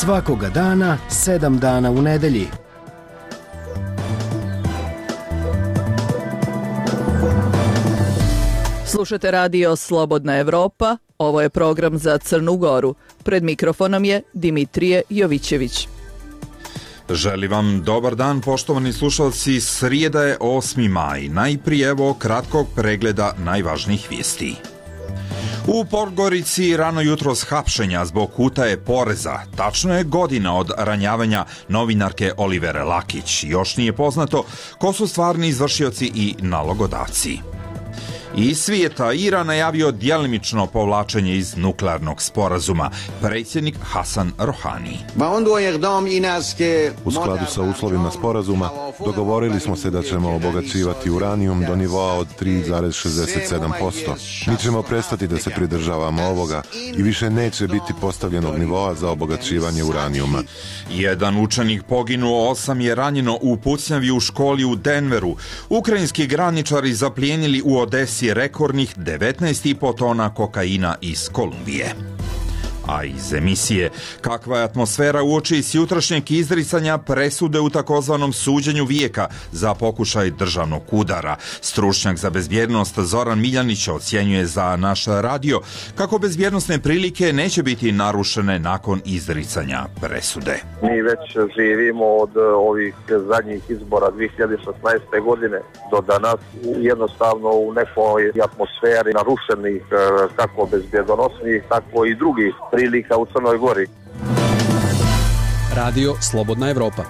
Svakoga dana, 7 dana u nedelji. Slušate radio Slobodna Evropa, ovo je program za Crnu Goru. Pred mikrofonom je Dimitrije Jovićević. Želim vam dobar dan, poštovani slušalci. Srijeda je 8. maj. Najprije evo kratkog pregleda najvažnijih vijesti. U Podgorici rano jutros hapšenja zbog utaje poreza. Tačno je godina od ranjavanja novinarke Olivere Lakić. Još nije poznato ko su stvarni izvršioci i nalogodavci. Iz svijeta, Iran najavio djelimično povlačenje iz nuklearnog sporazuma. Predsjednik Hasan Rohani. U skladu sa uslovima sporazuma dogovorili smo se da ćemo obogaćivati uranijum do nivoa od 3,67%. Mi ćemo prestati da se pridržavamo ovoga i više neće biti postavljenog nivoa za obogaćivanje uranijuma. Jedan učenik poginuo, 8 je ranjeno u pucnjavi u školi u Denveru. Ukrajinski graničari zaplijenili u Odesi rekordnih 19,5 tona kokaina iz Kolumbije. A iz emisije, kakva je atmosfera uoči s jutrašnjeg izricanja presude u takozvanom suđenju vijeka za pokušaj državnog udara. Stručnjak za bezbjednost Zoran Miljanić ocjenjuje za naš radio kako bezbjednosne prilike neće biti narušene nakon izricanja presude. Mi već živimo od ovih zadnjih izbora 2016. godine do danas jednostavno u nekoj atmosferi narušenih kako bezbjednosnih, tako i drugih prilika u Crnoj Gori. Radio Slobodna Evropa.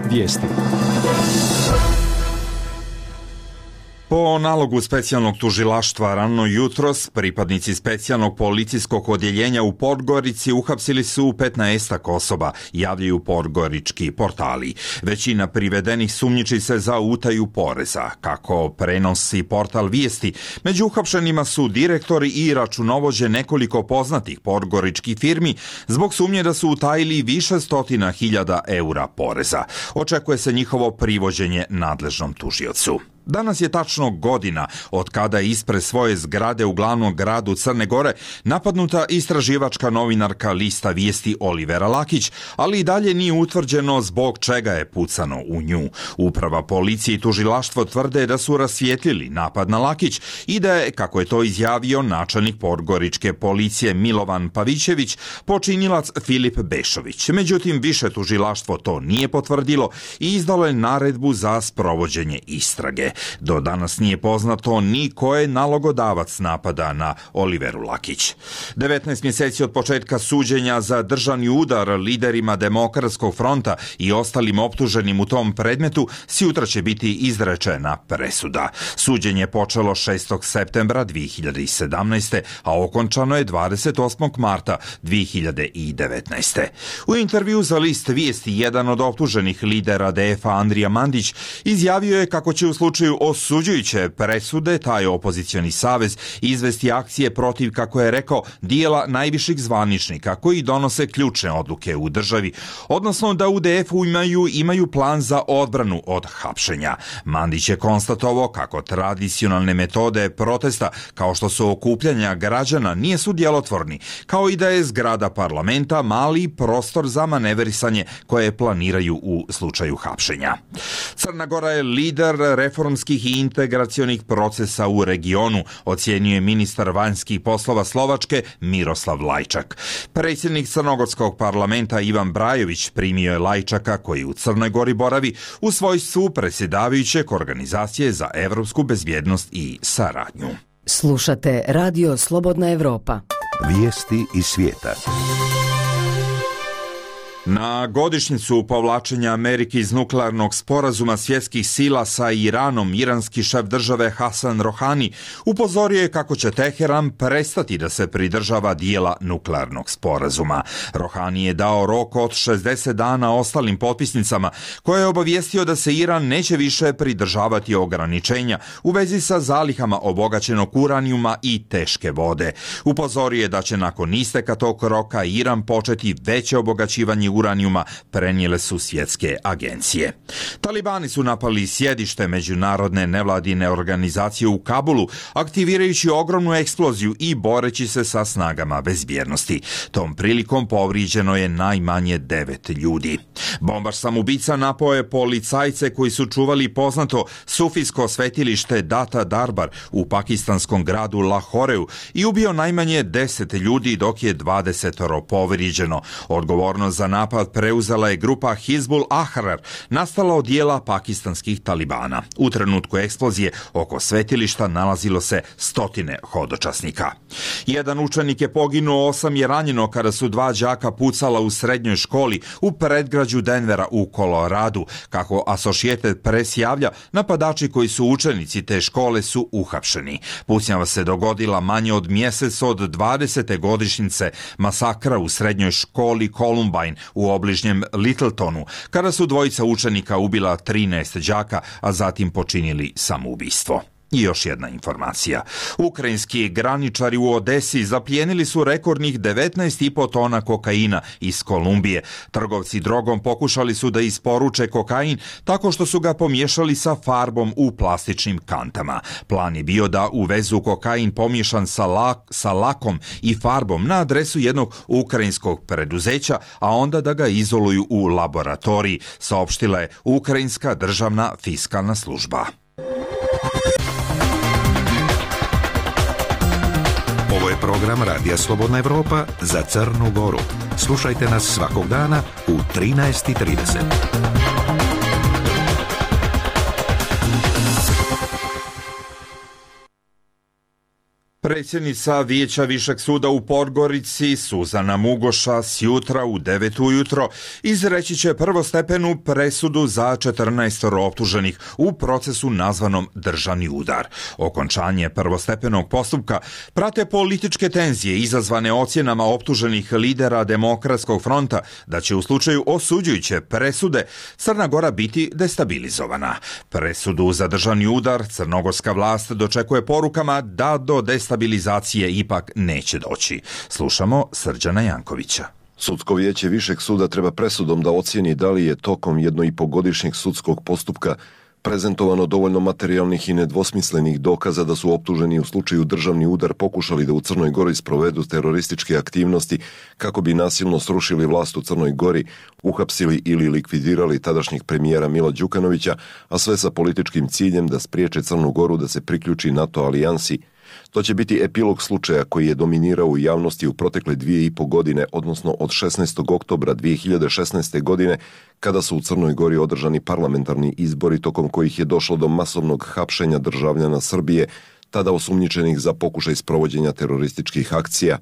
Vijesti. Po nalogu specijalnog tužilaštva rano jutros, pripadnici specijalnog policijskog odjeljenja u Podgorici uhapsili su 15 osoba, javljaju podgorički portali. Većina privedenih sumnjiči se za utaju poreza. Kako prenosi portal Vijesti, među uhapšenima su direktori i računovođe nekoliko poznatih podgoričkih firmi zbog sumnje da su utajili više stotina hiljada eura poreza. Očekuje se njihovo privođenje nadležnom tužiocu. Danas je tačno godina od kada je ispred svoje zgrade u glavnom gradu Crne Gore napadnuta istraživačka novinarka lista Vijesti Olivera Lakić, ali i dalje nije utvrđeno zbog čega je pucano u nju. Uprava policije i tužilaštvo tvrde da su rasvijetlili napad na Lakić i da je, kako je to izjavio načelnik podgoričke policije Milovan Pavićević, počinilac Filip Bešović. Međutim, više tužilaštvo to nije potvrdilo i izdalo je naredbu za sprovođenje istrage. Do danas nije poznato ni ko je nalogodavac napada na Oliveru Lakić. 19 mjeseci od početka suđenja za državni udar liderima Demokratskog fronta i ostalim optuženim u tom predmetu sutra će biti izrečena presuda. Suđenje je počelo 6. septembra 2017. a okončano je 28. marta 2019. U intervju za list Vijesti jedan od optuženih lidera DF-a Andrija Mandić izjavio je kako će u slučaju osuđujuće presude taj opozicioni savez izvesti akcije protiv, kako je rekao, dijela najviših zvaničnika koji donose ključne odluke u državi, odnosno da u DF-u imaju plan za odbranu od hapšenja. Mandić je konstatovao kako tradicionalne metode protesta, kao što su okupljanja građana, nisu djelotvorni, kao i da je zgrada parlamenta mali prostor za maneverisanje koje planiraju u slučaju hapšenja. Crna Gora je lider reformskih i integracionih procesa u regionu, ocjenjuje ministar vanjskih poslova Slovačke Miroslav Lajčak. Predsjednik Crnogorskog parlamenta Ivan Brajović primio je Lajčaka, koji u Crnoj Gori boravi u svojstvu predsjedavajućeg Organizacije za evropsku bezbjednost i saradnju. Slušate Radio Slobodna Evropa. Vijesti iz svijeta. Na godišnjicu povlačenja Amerike iz nuklearnog sporazuma svjetskih sila sa Iranom, iranski šef države Hasan Rohani upozorio je kako će Teheran prestati da se pridržava dijela nuklearnog sporazuma. Rohani je dao rok od 60 dana ostalim potpisnicama, koje je obavijestio da se Iran neće više pridržavati ograničenja u vezi sa zalihama obogaćenog uranijuma i teške vode. Upozorio je da će nakon isteka tog roka Iran početi veće obogaćivanje uranijuma, prenijele su svjetske agencije. Talibani su napali sjedište međunarodne nevladine organizacije u Kabulu, aktivirajući ogromnu eksploziju i boreći se sa snagama bezbjednosti. Tom prilikom povrijeđeno je najmanje 9 ljudi. Bombaš samoubica napao je policajce koji su čuvali poznato sufijsko svetilište Data Darbar u pakistanskom gradu Lahoreu i ubio najmanje 10 ljudi dok je 20 povrijeđeno. Odgovornost za napad preuzela je grupa Hizbul Ahrar, nastala od dijela pakistanskih talibana. U trenutku eksplozije oko svetilišta nalazilo se stotine hodočasnika. Jedan učenik je poginuo, 8 je ranjeno kada su 2 đaka pucala u srednjoj školi u predgrađu Denvera u Koloradu. Kako Associated Press javlja, napadači koji su učenici te škole su uhapšeni. Pucnjava se dogodila manje od mjesec od 20. godišnjice masakra u srednjoj školi Columbine u obližnjem Littletonu, kada su 2 učenika ubila 13 đaka, a zatim počinili samoubistvo. I još jedna informacija. Ukrajinski graničari u Odesi zaplijenili su rekordnih 19,5 tona kokaina iz Kolumbije. Trgovci drogom pokušali su da isporuče kokain tako što su ga pomiješali sa farbom u plastičnim kantama. Plan je bio da uvezu kokain pomiješan sa lakom i farbom na adresu jednog ukrajinskog preduzeća, a onda da ga izoluju u laboratoriji, saopštila je Ukrajinska državna fiskalna služba. Ovo je program Radija Slobodna Evropa za Crnu Goru. Slušajte nas svakog dana u 13:30. Predsjednica Vijeća Višeg suda u Podgorici, Suzana Mugoša, sjutra u 9 ujutro izreći će prvostepenu presudu za 14 optuženih u procesu nazvanom državni udar. Okončanje prvostepenog postupka prate političke tenzije izazvane ocjenama optuženih lidera Demokratskog fronta da će u slučaju osuđujuće presude Crna Gora biti destabilizovana. Presudu za državni udar crnogorska vlast dočekuje porukama da do destabilizacije ipak neće doći. Slušamo Srđana Jankovića. Sudsko vijeće Višeg suda treba presudom da ocijeni da li je tokom 1,5-godišnjeg sudskog postupka prezentovano dovoljno materijalnih i nedvosmislenih dokaza da su optuženi u slučaju državni udar pokušali da u Crnoj Gori sprovedu terorističke aktivnosti kako bi nasilno srušili vlast u Crnoj Gori, uhapsili ili likvidirali tadašnjeg premijera Mila Đukanovića, a sve sa političkim ciljem da spriječe Crnu Goru da se priključi NATO alijansi. To će biti epilog slučaja koji je dominirao u javnosti u protekle 2,5 godine, odnosno od 16. oktobra 2016. godine, kada su u Crnoj Gori održani parlamentarni izbori tokom kojih je došlo do masovnog hapšenja državljana Srbije, tada osumnjičenih za pokušaj sprovođenja terorističkih akcija.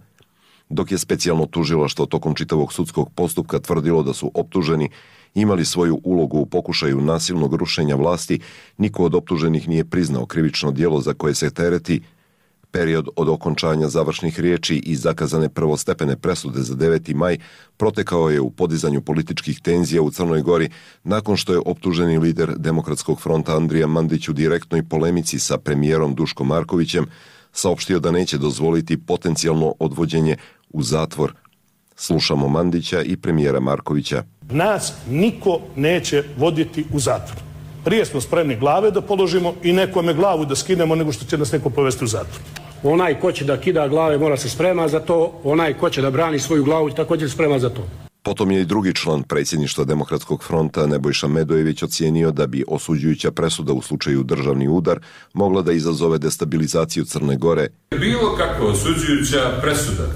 Dok je specijalno tužilaštvo tokom čitavog sudskog postupka tvrdilo da su optuženi imali svoju ulogu u pokušaju nasilnog rušenja vlasti, niko od optuženih nije priznao krivično djelo za koje se tereti. Period od okončanja završnih riječi i zakazane prvostepene presude za 9. maj protekao je u podizanju političkih tenzija u Crnoj Gori nakon što je optuženi lider Demokratskog fronta Andrija Mandić u direktnoj polemici sa premijerom Duškom Markovićem saopštio da neće dozvoliti potencijalno odvođenje u zatvor. Slušamo Mandića i premijera Markovića. Nas niko neće voditi u zatvor. Prije smo spremni glave da položimo i nekome glavu da skinemo nego što će nas neko povesti u zatvor. Onaj ko će da kida glave mora se sprema za to, onaj ko će da brani svoju glavu također sprema za to. Potom je i drugi član predsjedništva Demokratskog fronta Nebojša Medojević ocijenio da bi osuđujuća presuda u slučaju državni udar mogla da izazove destabilizaciju Crne Gore. Bilo kakva osuđujuća presuda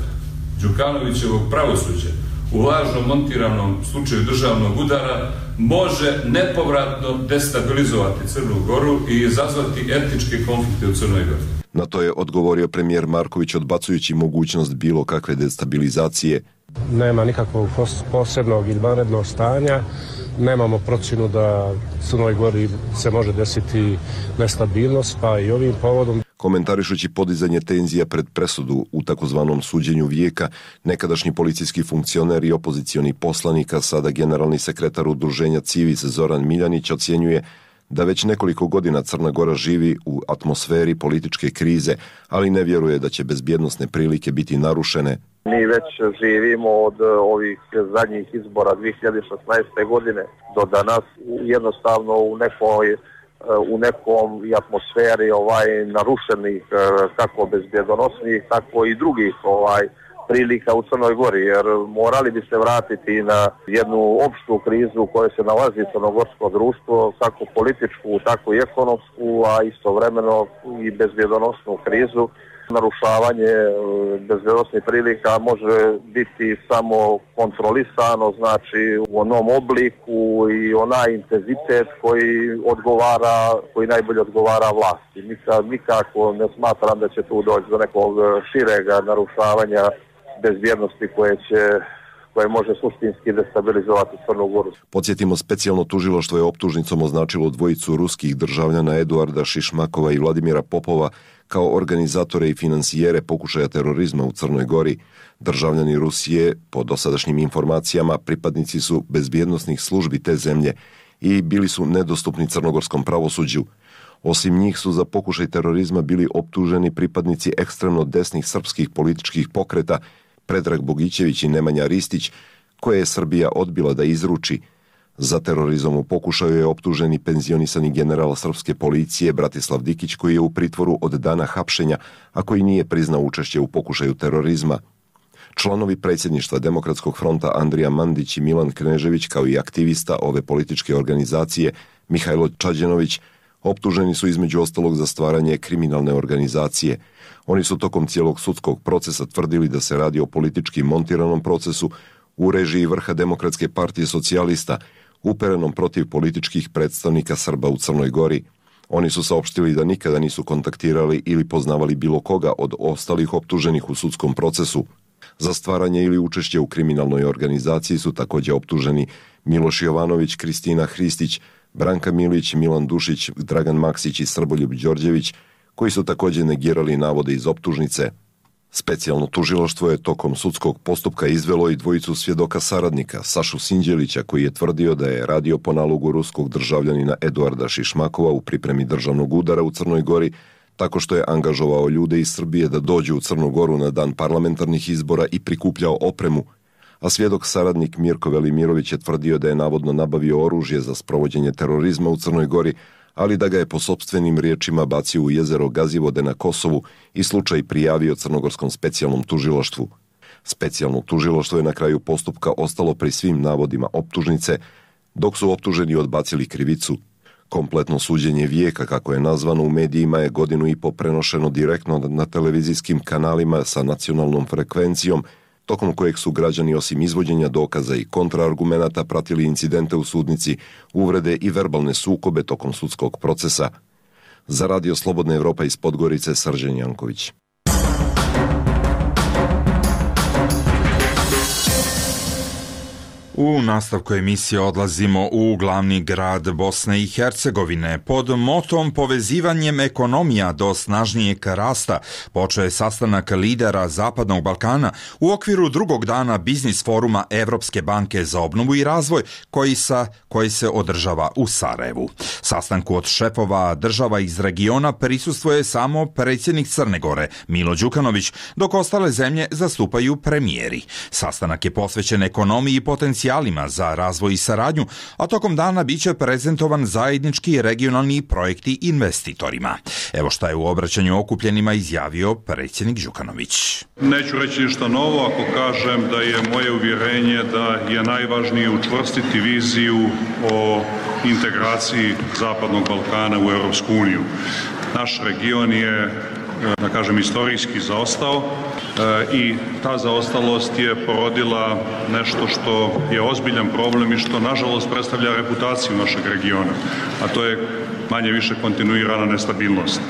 Đukanovićevog pravosuđa u lažno montiranom slučaju državnog udara može nepovratno destabilizovati Crnu Goru i izazvati etničke konflikte u Crnoj Gori. Na to je odgovorio premijer Marković odbacujući mogućnost bilo kakve destabilizacije. Nema nikakvog posebnog ili vanrednog stanja, nemamo procjenu da Crnoj Gori se može desiti nestabilnost, pa i ovim povodom. Komentarišući podizanje tenzija pred presudu u takozvanom suđenju vijeka, nekadašnji policijski funkcioner i opozicioni poslanik, a sada generalni sekretar udruženja Civis Zoran Miljanić ocjenjuje da već nekoliko godina Crna Gora živi u atmosferi političke krize, ali ne vjeruje da će bezbjednosne prilike biti narušene. Mi već živimo od ovih zadnjih izbora 2016. godine do danas jednostavno u nekom atmosferi narušenih kako bezbjedonosnih, tako i drugih prilika u Crnoj Gori, jer morali bi se vratiti na jednu opštu krizu u kojoj se nalazi crnogorsko društvo, kako političku, tako i ekonomsku, a istovremeno i bezbjedonosnu krizu. Narušavanje bezbjednosnih prilika može biti samo kontrolisano, znači u onom obliku i onaj intenzitet koji najbolje odgovara vlasti. Nikako ne smatram da će tu doći do nekog širega narušavanja bezbjednosti koje može suštinski destabilizovati Crnu Goru. Podsjetimo, specijalno tužilaštvo je optužnicom označilo dvojicu ruskih državljana Eduarda Šišmakova i Vladimira Popova kao organizatore i finansijere pokušaja terorizma u Crnoj Gori. Državljani Rusije, po dosadašnjim informacijama, pripadnici su bezbjednosnih službi te zemlje i bili su nedostupni crnogorskom pravosuđu. Osim njih su za pokušaj terorizma bili optuženi pripadnici ekstremno desnih srpskih političkih pokreta Predrag Bogićević i Nemanja Ristić, koje je Srbija odbila da izruči. Za terorizam u pokušaju je optuženi penzionisani general srpske policije Bratislav Dikić, koji je u pritvoru od dana hapšenja, a koji nije priznao učešće u pokušaju terorizma. Članovi predsjedništva Demokratskog fronta Andrija Mandić i Milan Knežević, kao i aktivista ove političke organizacije Mihajlo Čađenović, optuženi su između ostalog za stvaranje kriminalne organizacije. Oni su tokom cijelog sudskog procesa tvrdili da se radi o politički montiranom procesu u režiji vrha Demokratske partije socijalista, uperenom protiv političkih predstavnika Srba u Crnoj Gori. Oni su saopštili da nikada nisu kontaktirali ili poznavali bilo koga od ostalih optuženih u sudskom procesu. Za stvaranje ili učešće u kriminalnoj organizaciji su također optuženi Miloš Jovanović, Kristina Hristić, Branka Milić, Milan Dušić, Dragan Maksić i Srboljub Đorđević, koji su također negirali navode iz optužnice. Specijalno tužilaštvo je tokom sudskog postupka izvelo i dvojicu svjedoka saradnika, Sašu Sinđelića, koji je tvrdio da je radio po nalogu ruskog državljanina Eduarda Šišmakova u pripremi državnog udara u Crnoj Gori, tako što je angažovao ljude iz Srbije da dođu u Crnu Goru na dan parlamentarnih izbora i prikupljao opremu, a svjedok saradnik Mirko Velimirović je tvrdio da je navodno nabavio oružje za sprovođenje terorizma u Crnoj Gori, ali da ga je po sopstvenim riječima bacio u jezero Gazivode na Kosovu i slučaj prijavio Crnogorskom specijalnom tužilaštvu. Specijalno tužilaštvo je na kraju postupka ostalo pri svim navodima optužnice, dok su optuženi odbacili krivicu. Kompletno suđenje vijeka, kako je nazvano u medijima, je 1.5 godinu prenošeno direktno na televizijskim kanalima sa nacionalnom frekvencijom, tokom kojeg su građani osim izvođenja dokaza i kontraargumenata pratili incidente u sudnici, uvrede i verbalne sukobe tokom sudskog procesa. Za Radio Slobodna Evropa iz Podgorice, Srđan Janković. U nastavku emisije odlazimo u glavni grad Bosne i Hercegovine. Pod motom povezivanjem ekonomija do snažnijeg rasta počeo je sastanak lidera Zapadnog Balkana u okviru drugog dana biznis foruma Evropske banke za obnovu i razvoj koji se održava u Sarajevu. Sastanku od šefova država iz regiona prisustvuje samo predsjednik Crne Gore Milo Đukanović, dok ostale zemlje zastupaju premijeri. Sastanak je posvećen ekonomiji i potencijalima za razvoj i saradnju, a tokom dana biće prezentovan zajednički regionalni projekti investitorima. Evo šta je u obraćanju okupljenima izjavio predsjednik Đukanović. Neću reći ništa novo ako kažem da je moje uvjerenje da je najvažnije učvrstiti viziju o integraciji Zapadnog Balkana u Europsku uniju. Naš region je, da kažem, historijski zaostao i ta zaostalost je porodila nešto što je ozbiljan problem i što nažalost predstavlja reputaciju našeg regiona, a to je manje više kontinuirana nestabilnost.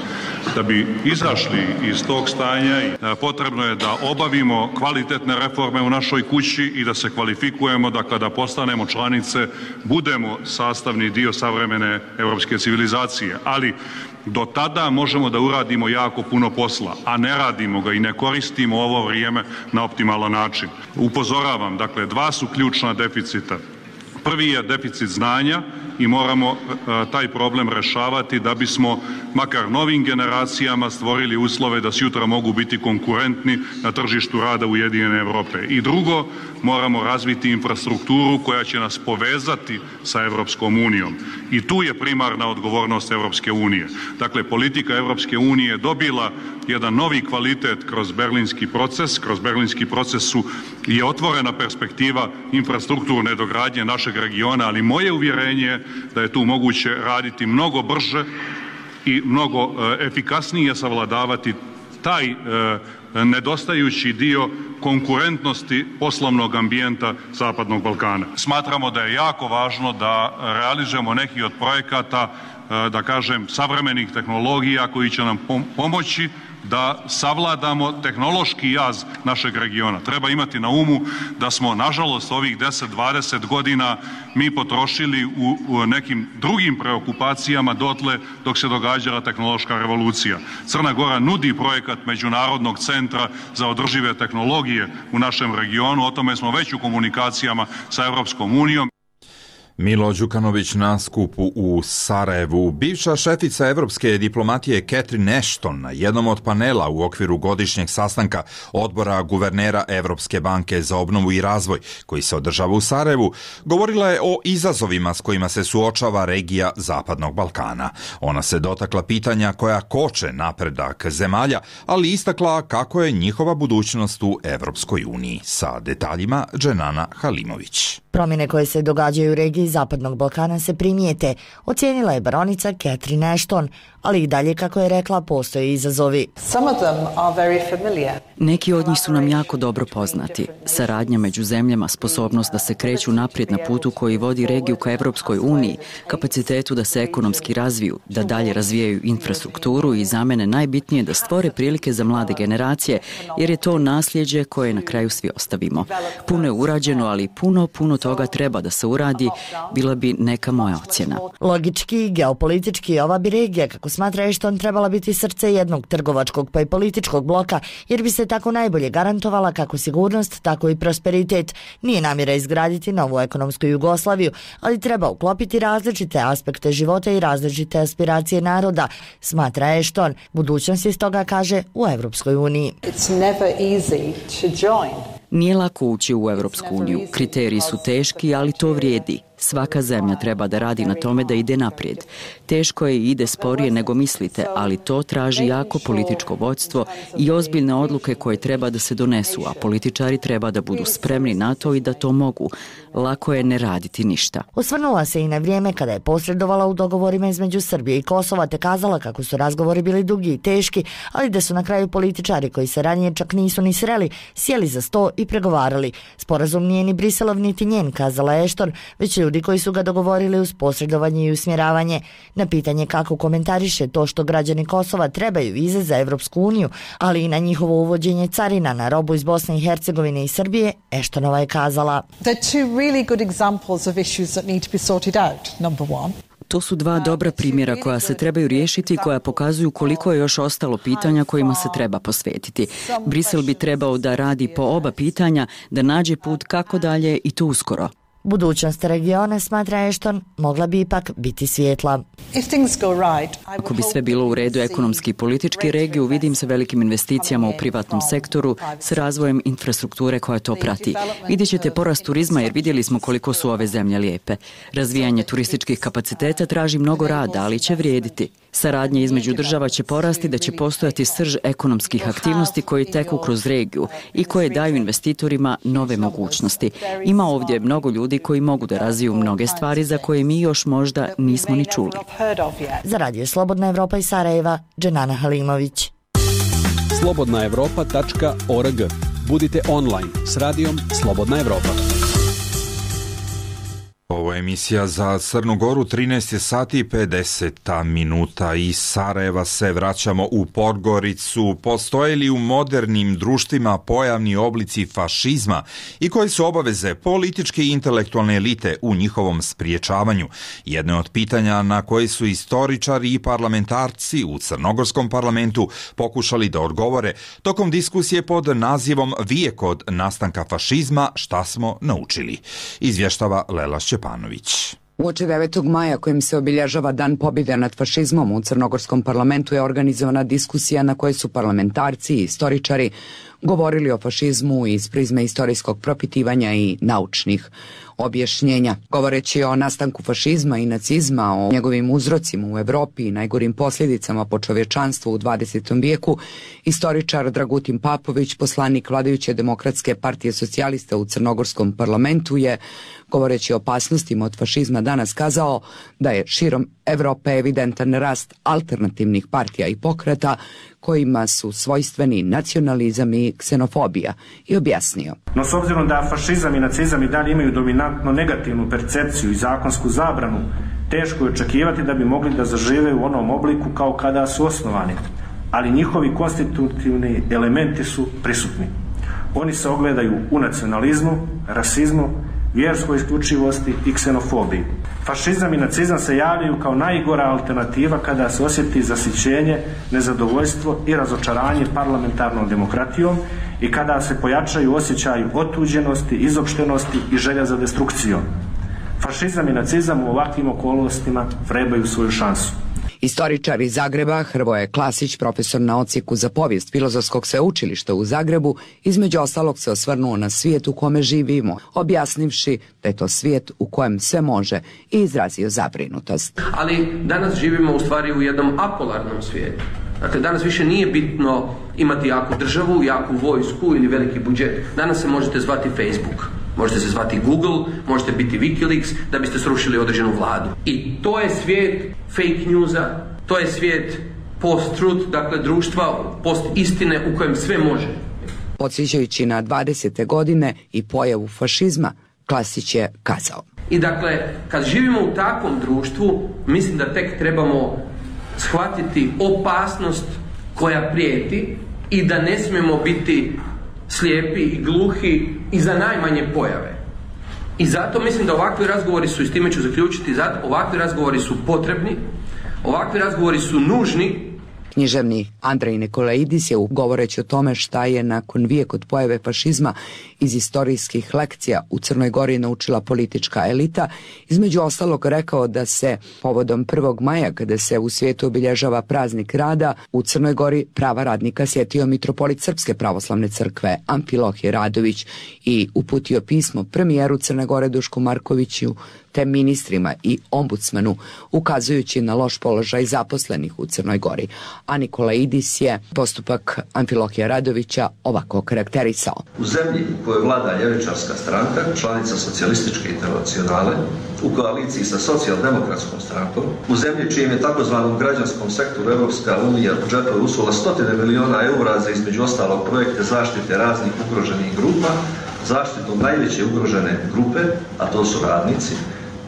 Da bi izašli iz tog stanja potrebno je da obavimo kvalitetne reforme u našoj kući i da se kvalifikujemo da kada postanemo članice budemo sastavni dio savremene europske civilizacije, ali do tada možemo da uradimo jako puno posla, a ne radimo ga i ne koristimo ovo vrijeme na optimalan način. Upozoravam, dakle, 2 su ključna deficita Prvi je deficit znanja i moramo taj problem rešavati da bismo makar novim generacijama stvorili uslove da sutra mogu biti konkurentni na tržištu rada Ujedinjene Evrope. I drugo, moramo razviti infrastrukturu koja će nas povezati sa Evropskom unijom. I tu je primarna odgovornost Evropske unije. Dakle, politika Evropske unije je dobila jedan novi kvalitet kroz berlinski proces. Kroz berlinski proces je otvorena perspektiva infrastrukturne dogradnje našeg regiona, ali moje uvjerenje je da je tu moguće raditi mnogo brže i mnogo efikasnije savladavati taj nedostajući dio konkurentnosti poslovnog ambijenta Zapadnog Balkana. Smatramo da je jako važno da realizujemo neki od projekata, da kažem, savremenih tehnologija koji će nam pomoći da savladamo tehnološki jaz našeg regiona. Treba imati na umu da smo, nažalost, ovih 10-20 godina mi potrošili u nekim drugim preokupacijama dotle dok se događala tehnološka revolucija. Crna Gora nudi projekat Međunarodnog centra za održive tehnologije u našem regionu, o tome smo već u komunikacijama sa Evropskom unijom. Milo Đukanović na skupu u Sarajevu. Bivša šefica evropske diplomatije Catherine Ashton na jednom od panela u okviru godišnjeg sastanka odbora guvernera Evropske banke za obnovu i razvoj, koji se održava u Sarajevu, govorila je o izazovima s kojima se suočava regija Zapadnog Balkana. Ona se dotakla pitanja koja koče napredak zemalja, ali istakla kako je njihova budućnost u Evropskoj uniji. Sa detaljima Dženana Halimović. Promjene koje se događaju u regiji Zapadnog Balkana se primijete, ocijenila je baronica Catherine Ashton, ali i dalje, kako je rekla, postoje izazovi. Neki od njih su nam jako dobro poznati. Saradnja među zemljama, sposobnost da se kreću naprijed na putu koji vodi regiju ka Evropskoj uniji, kapacitetu da se ekonomski razviju, da dalje razvijaju infrastrukturu i za mene najbitnije da stvore prilike za mlade generacije, jer je to nasljeđe koje na kraju svi ostavimo. Puno je urađeno, ali puno toga treba da se uradi, bila bi neka moja ocjena. Logički i geopolitički ova bi regija, kako smatra Ashton, trebala biti srce jednog trgovačkog pa i političkog bloka, jer bi se tako najbolje garantovala kako sigurnost, tako i prosperitet. Nije namjera izgraditi novu ekonomsku Jugoslaviju, ali treba uklopiti različite aspekte života i različite aspiracije naroda, smatra Ashton. Budućnost je stoga, kaže, u Evropskoj uniji. Nije lako ući u Evropsku uniju. Kriteriji su teški, ali to vrijedi. Svaka zemlja treba da radi na tome da ide naprijed. Teško je i ide sporije nego mislite, ali to traži jako političko vodstvo i ozbiljne odluke koje treba da se donesu, a političari treba da budu spremni na to i da to mogu. Lako je ne raditi ništa. Osvrnula se i na vrijeme kada je posredovala u dogovorima između Srbije i Kosova, te kazala kako su razgovori bili dugi i teški, ali da su na kraju političari koji se ranije čak nisu ni sreli, sjeli za sto i pregovarali. Sporazum nije ni Briselov niti njen, kazala Ashton, već ljudi koji su ga dogovorili uz posredovanje i usmjeravanje. Na pitanje kako komentariše to što građani Kosova trebaju vize za Evropsku uniju, ali i na njihovo uvođenje carina na robu iz Bosne i Hercegovine i Srbije, Ashtonova je kazala: To su dva dobra primjera koja se trebaju riješiti i koja pokazuju koliko je još ostalo pitanja kojima se treba posvetiti. Brisel bi trebao da radi po oba pitanja, da nađe put kako dalje i to uskoro. Budućnost regiona, smatra Ashton, mogla bi ipak biti svijetla. Ako bi sve bilo u redu ekonomski i politički, regiju vidim sa velikim investicijama u privatnom sektoru, s razvojem infrastrukture koja to prati. Vidjet ćete porast turizma jer vidjeli smo koliko su ove zemlje lijepe. Razvijanje turističkih kapaciteta traži mnogo rada, ali će vrijediti. Saradnja između država će porasti, da će postojati srž ekonomskih aktivnosti koji teku kroz regiju i koje daju investitorima nove mogućnosti. Ima ovdje mnogo ljudi koji mogu da razviju mnoge stvari za koje mi još možda nismo ni čuli. Za Radio Slobodna Evropa iz Sarajeva, Dženana Halimović. slobodnaevropa.org. Budite online s radijom Slobodna Evropa. Ovo je emisija za Crnu Goru, 13 sati i 50 minuta. Iz Sarajeva se vraćamo u Podgoricu. Postoje li u modernim društvima pojavni oblici fašizma i koje su obaveze političke i intelektualne elite u njihovom spriječavanju? Jedno je od pitanja na koje su istoričari i parlamentarci u Crnogorskom parlamentu pokušali da odgovore tokom diskusije pod nazivom Vijek od nastanka fašizma, šta smo naučili. Izvještava Lela Šćeparović. Šćepanović. Uoči 9. maja kojim se obilježava Dan pobjede nad fašizmom u Crnogorskom parlamentu je organizovana diskusija na kojoj su parlamentarci i istoričari govorili o fašizmu iz prizme istorijskog propitivanja i naučnih objašnjenja. Govoreći o nastanku fašizma i nacizma, o njegovim uzrocima u Evropi i najgorim posljedicama po čovječanstvu u 20. vijeku, istoričar Dragutin Papović, poslanik vladajuće Demokratske partije socijalista u Crnogorskom parlamentu, je, govoreći o opasnostima od fašizma, danas kazao da je širom Evrope evidentan rast alternativnih partija i pokreta kojima su svojstveni nacionalizam i ksenofobija, i objasnio. No s obzirom da fašizam i nacizam i dalje imaju dominantno negativnu percepciju i zakonsku zabranu, teško je očekivati da bi mogli da zažive u onom obliku kao kada su osnovani, ali njihovi konstitutivni elementi su prisutni. Oni se ogledaju u nacionalizmu, rasizmu, vjerskoj isključivosti i ksenofobiji. Fašizam i nacizam se javljaju kao najgora alternativa kada se osjeti zasićenje, nezadovoljstvo i razočaranje parlamentarnom demokratijom i kada se pojačaju osjećaju otuđenosti, izopštenosti i želja za destrukcijom. Fašizam i nacizam u ovakvim okolnostima vrebaju svoju šansu. Istoričar iz Zagreba Hrvoje Klasić, profesor na odsjeku za povijest Filozofskog sveučilišta u Zagrebu, između ostalog se osvrnuo na svijet u kome živimo, objasnivši da je to svijet u kojem sve može, i izrazio zabrinutost. Ali danas živimo u stvari u jednom apolarnom svijetu. Dakle, danas više nije bitno imati jaku državu, jaku vojsku ili veliki budžet. Danas se možete zvati Facebook. Možete se zvati Google, možete biti Wikileaks da biste srušili određenu vladu. I to je svijet fake newsa, to je svijet post-truth, dakle društva post-istine u kojem sve može. Podsjećajući na 20. godine i pojavu fašizma, Klasić je kazao. I dakle, kad živimo u takvom društvu, mislim da tek trebamo shvatiti opasnost koja prijeti i da ne smijemo biti slijepi i gluhi i za najmanje pojave. I zato mislim da ovakvi razgovori su, i s time ću zaključiti, ovakvi razgovori su potrebni, ovakvi razgovori su nužni. Književnik Andrej Nikolaidis je, govoreći o tome šta je nakon vijek od pojave fašizma iz istorijskih lekcija u Crnoj Gori naučila politička elita, između ostalog rekao da se povodom 1. maja, kada se u svijetu obilježava praznik rada, u Crnoj Gori prava radnika sjetio mitropolit Srpske pravoslavne crkve Amfilohije Radović i uputio pismo premijeru Crne Gore Dušku Markoviću te ministrima i ombudsmanu, ukazujući na loš položaj zaposlenih u Crnoj Gori. A Nikolaidis je postupak Amfilohija Radovića ovako karakterisao. U zemlji u kojoj vlada ljevičarska stranka, članica socijalističke internacionale, u koaliciji sa socijaldemokratskom strankom, u zemlji čijem je takozvanom građanskom sektoru Evropska unija u džepove usula 100 miliona eura za između ostalog projekte zaštite raznih ugroženih grupa, zaštitom najveće ugrožene grupe, a to su radnici,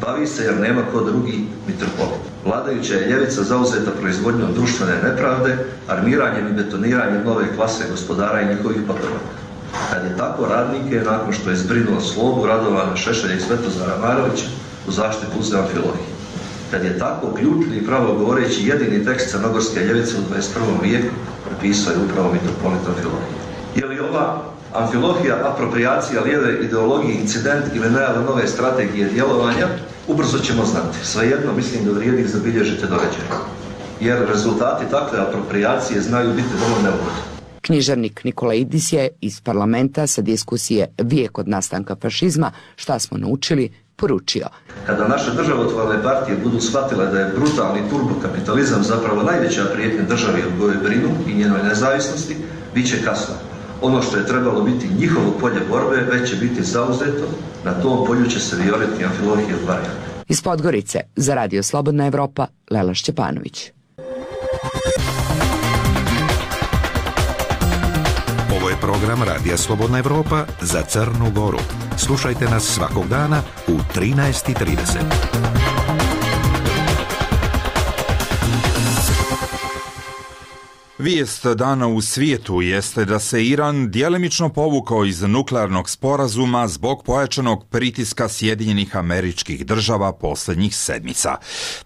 bavi se jer nema ko drugi mitropolit. Vladajuća je ljevica zauzeta proizvodnjom društvene nepravde, armiranjem i betoniranjem nove klase gospodara i njihovih patrona. Kad je tako, radnike, nakon što je zbrinuo Slobu, Radovana Šešelja i Svetozara Marovića, u zaštitu uzeo Amfilohije. Kad je tako, ključni i pravo govoreći jedini tekst crnogorske ljevice u 21. vijeku napisao je upravo mitropolit Amfilohije. Je li ova Amfilohija apropriacija lijeve ideologije, incident ili najava nove strategije djelovanja? Ubrzo ćemo znati. Svejedno mislim da vrijedi zabilježite događaje. Jer rezultati takve apropriacije znaju biti vrlo neugodni. Književnik Nikolaidis je iz parlamenta sa diskusije Vijek od nastanka fašizma, šta smo naučili, poručio. Kada naše državotvorne partije budu shvatile da je brutalni turbokapitalizam zapravo najveća prijetnja državi o kojoj brinu i njenoj nezavisnosti, bit će kasno. Ono što je trebalo biti njihovo polje borbe već će biti zauzeto, na tom polju će se vijoriti Amfilohije variant. Iz Podgorice za Radio Slobodna Evropa, Lela Šćepanović. Ovo je program Radija Slobodna Evropa za Crnu Goru. Slušajte nas svakog dana u 13:30. Vijest dana u svijetu jeste da se Iran djelimično povukao iz nuklearnog sporazuma zbog pojačanog pritiska Sjedinjenih Američkih Država posljednjih sedmica.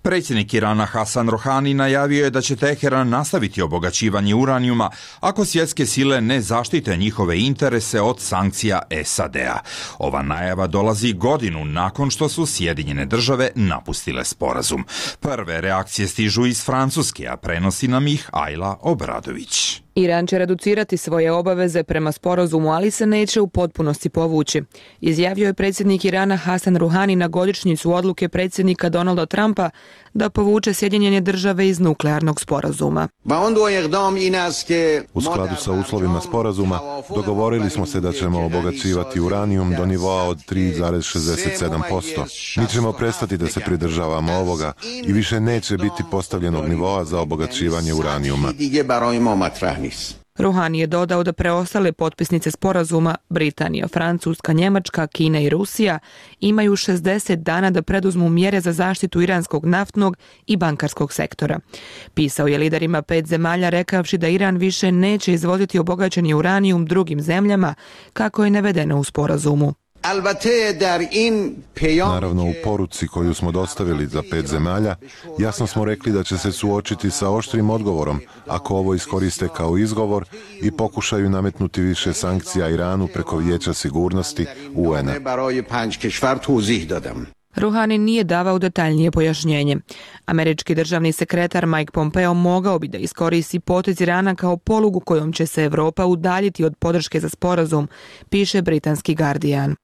Predsjednik Irana Hasan Rohani najavio je da će Teheran nastaviti obogaćivanje uranijuma ako svjetske sile ne zaštite njihove interese od sankcija SAD-a. Ova najava dolazi godinu nakon što su Sjedinjene Države napustile sporazum. Prve reakcije stižu iz Francuske, a prenosi nam ih Ajla Obradović. Iran će reducirati svoje obaveze prema sporazumu, ali se neće u potpunosti povući. Izjavio je predsjednik Irana Hasan Rouhani na godišnjicu odluke predsjednika Donalda Trumpa da povuče Sjedinjene Države iz nuklearnog sporazuma. U skladu sa uslovima sporazuma dogovorili smo se da ćemo obogaćivati uranijum do nivoa od 3,67%. Mi ćemo prestati da se pridržavamo ovoga i više neće biti postavljenog nivoa za obogaćivanje uranijuma. Rouhani je dodao da preostale potpisnice sporazuma, Britanija, Francuska, Njemačka, Kina i Rusija, imaju 60 dana da preduzmu mjere za zaštitu iranskog naftnog i bankarskog sektora. Pisao je liderima 5 zemalja rekavši da Iran više neće izvoziti obogaćeni uranijum drugim zemljama, kako je navedeno u sporazumu. Naravno, u poruci koju smo dostavili za 5 zemalja, jasno smo rekli da će se suočiti sa oštrim odgovorom ako ovo iskoriste kao izgovor i pokušaju nametnuti više sankcija Iranu preko Vijeća sigurnosti UN-a. Rouhani nije davao detaljnije pojašnjenje. Američki državni sekretar Mike Pompeo mogao bi da iskoristi potez Irana kao polugu kojom će se Europa udaljiti od podrške za sporazum, piše britanski Guardian.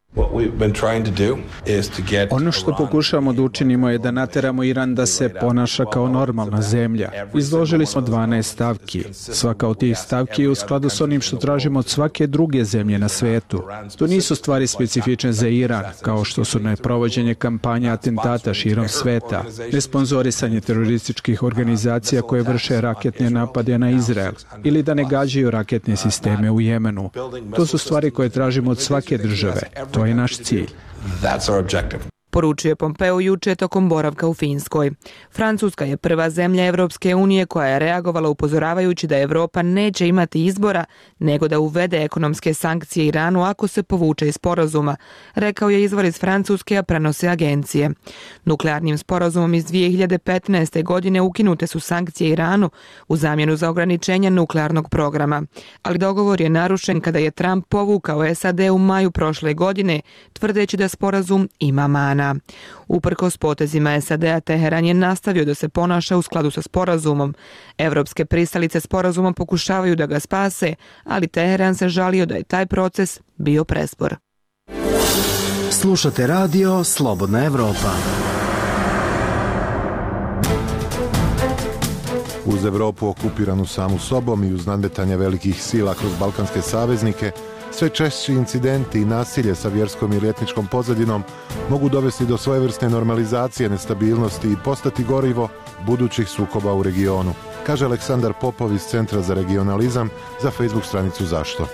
Ono što pokušavamo da učinimo je da nateramo Iran da se ponaša kao normalna zemlja. Izložili smo 12 stavki. Svaka od tih stavki je u skladu s onim što tražimo od svake druge zemlje na svetu. To nisu stvari specifične za Iran, kao što su neprovođenje kampanja atentata širom sveta, nesponzorisanje terorističkih organizacija koje vrše raketne napade na Izrael ili da ne gađaju raketne sisteme u Jemenu. To su stvari koje tražimo od svake države. To je naš cilj. Poručio je Pompeo juče tokom boravka u Finskoj. Francuska je prva zemlja Evropske unije koja je reagovala upozoravajući da Evropa neće imati izbora nego da uvede ekonomske sankcije Iranu ako se povuče iz sporazuma, rekao je izvor iz Francuske, a prenose agencije. Nuklearnim sporazumom iz 2015. godine ukinute su sankcije Iranu u zamjenu za ograničenje nuklearnog programa, ali dogovor je narušen kada je Trump povukao SAD u maju prošle godine, tvrdeći da sporazum ima mana. Uprkos potezima SAD-a, Teheran je nastavio da se ponaša u skladu sa sporazumom. Evropske pristalice sporazuma pokušavaju da ga spase, ali Teheran se žalio da je taj proces bio prespor. Slušate radio Slobodna Evropa. Uz Evropu okupiranu samu sobom i uz nadmetanje velikih sila kroz balkanske saveznike, sve češći incidenti i nasilje sa vjerskom ili etničkom pozadinom mogu dovesti do svojevrsne normalizacije nestabilnosti i postati gorivo budućih sukoba u regionu, kaže Aleksandar Popov iz Centra za regionalizam za Facebook stranicu Zašto.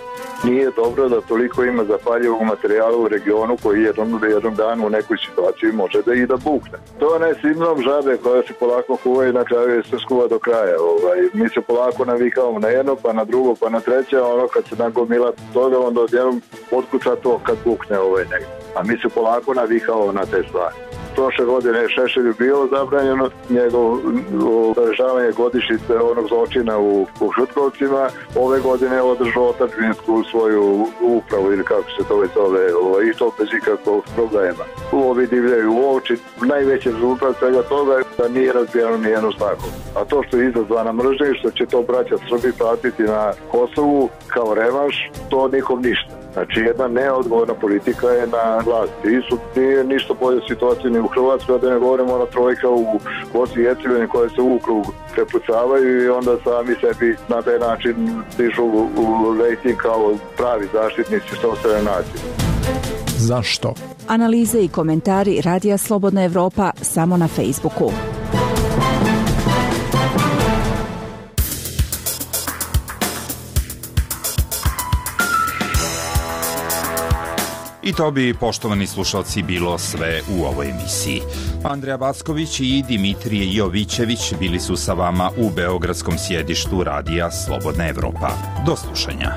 Nije dobro da toliko ima zapaljivog materijala u regionu koji jednom danu u nekoj situaciji može da i da bukne. To je onaj sindrom žabe koja se polako kuva i na kraju je se skuva do kraja. Mi se polako navikavamo na jedno, pa na drugo, pa na treće, a ono kad se nagomila toga, onda odjednom otkuca to kad bukne negdje. A mi se polako navikavamo na te stvari. Prošle godine je Šešelju bilo zabranjeno, njegovo obeležavanje godišnjice onog zločina u Šutkovcima. Ove godine je održao otadžbinsku svoju upravu ili kako se to već zove, i to bez ikakvog problema. Ovi divljaju u oči. Najveći rezultat svega toga je da nije razbijeno nijednu snagu. A to što je izazvana mržnja i što će to braća Srbi platiti na Kosovu kao revanš, to nikom ništa. Znači, jedna neodgovorna politika je na vlasti. Nije ništa bolje situacije ni u Hrvatskoj, da ne govorimo ona trojka u Bosni i Hercegovini koje se u krug prepucavaju i onda sami sebi na taj način dižu u rejting kao pravi zaštitnici sopstvene nacije. Zašto? Analize i komentari Radija Slobodna Evropa samo na Facebooku. I to bi, poštovani slušalci, bilo sve u ovoj emisiji. Andreja Backović i Dimitrije Jovićević bili su sa vama u beogradskom sjedištu Radija Slobodna Evropa. Do slušanja.